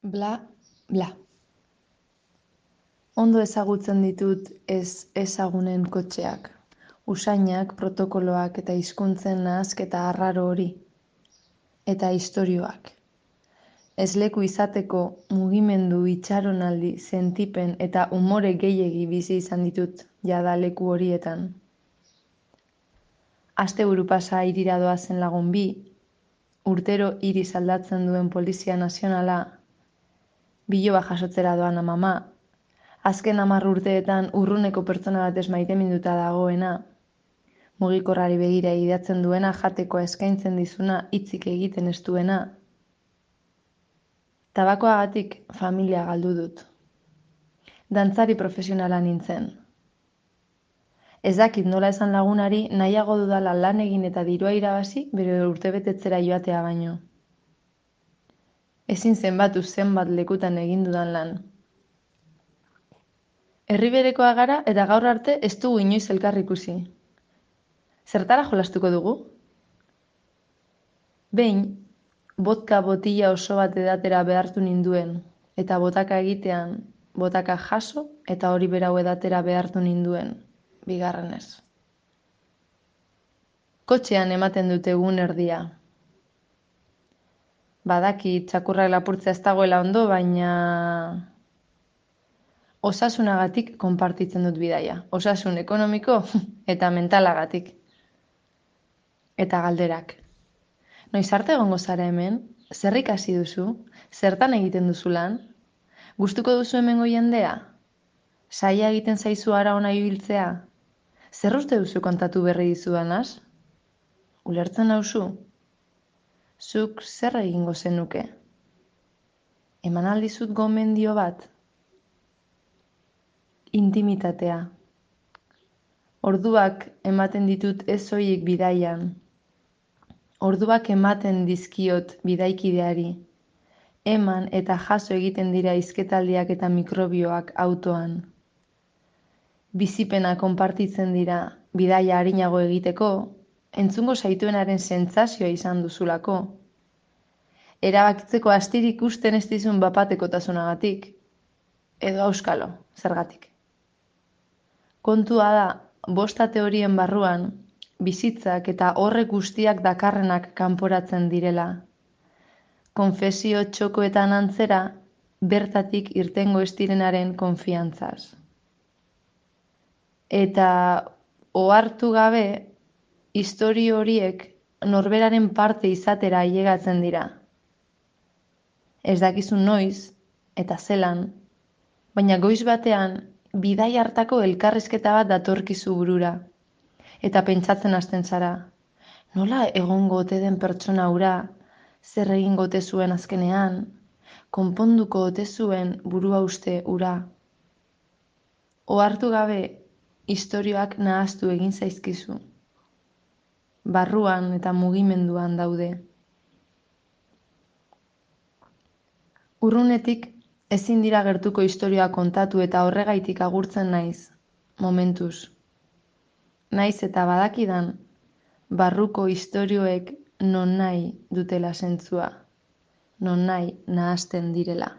Bla, bla. Ondo ezagutzen ditut ez ezagunen kotxeak, usainak, protokoloak eta hizkuntzen nahasketa arraro hori. Eta istorioak. Ez leku izateko mugimendu, itxaronaldi, sentipen eta umore gehiegi bizi izan ditut jada leku horietan. Asteburu pasa hirira doazen lagun bi, urtero hiri aldatzen duen Polizia Nazionala, biloba jasotzera doan amama, azken 10 urteetan urruneko pertsona batez maiteminduta dagoena, mugikorrari begira idatzen duena, jatekoa eskaintzen dizuna, hitzik egiten ez duena. Tabakoagatik familia galdu dut. Dantzari profesionala nintzen. Ez dakit nola esan lagunari nahiago dudala lan egin eta dirua irabazi bere urtebetetzera joatea baino. Ezin zenbatu zenbat lekutan egin dudan lan. Herriberekoa gara eta gaur arte ez dugu inoiz elkar ikusi. Zertara jolastuko dugu? Behin, vodka botila oso bat edatera behartu ninduen, eta botaka egitean, botaka jaso eta hori berau edatera behartu ninduen, bigarrenez. Kotxean ematen dute egun erdia. Badaki txakurrak lapurtzea ez dagoela ondo, baina osasunagatik konpartitzen dut bidaia. Osasun ekonomiko eta mentalagatik. Eta galderak. Noiz arte egongo zara hemen? Zer ikasi duzu? Zertan egiten duzu lan? Gustuko duzu hemengo jendea? Saia egiten zaizu ara ona ibiltzea? Zer uste duzu kontatu berri dizudanaz? Ulertzen nauzu? Zuk zer egingo zenuke? Eman aldizut gomendio bat? Intimitatea. Orduak ematen ditut ez soilik bidaian. Orduak ematen dizkiot bidaikideari. Eman eta jaso egiten dira hizketaldiak eta mikrobioak autoan. Bizipena konpartitzen dira bidaia arinago egiteko, entzungo zaituenaren sentsazioa izan duzulako. Erabakitzeko astirik usten ez dizun bapatekotasunagatik, edo auskalo, zergatik. Kontua da, bosta teorien barruan, bizitzak eta horrek guztiak dakarrenak kanporatzen direla. Konfesio txokoetan antzera, bertatik irtengo ez direnaren konfiantzaz. Eta ohartu gabe, istorio horiek norberaren parte izatera ailegatzen dira. Ez dakizu noiz, eta zelan, baina goiz batean, bidai hartako elkarrizketa bat datorkizu burura. Eta pentsatzen hasten zara, nola egongo ote den pertsona hura, zer egingo ote zuen azkenean, konponduko ote zuen burua uste hura. Ohartu gabe, istorioak nahaztu egin zaizkizu. Barruan eta mugimenduan daude. Urrunetik ezin dira gertuko istorioa kontatu eta horregaitik agurtzen naiz, momentuz. Naiz eta badakidan, barruko istorioek non nahi dutela zentzua, non nahi nahazten direla.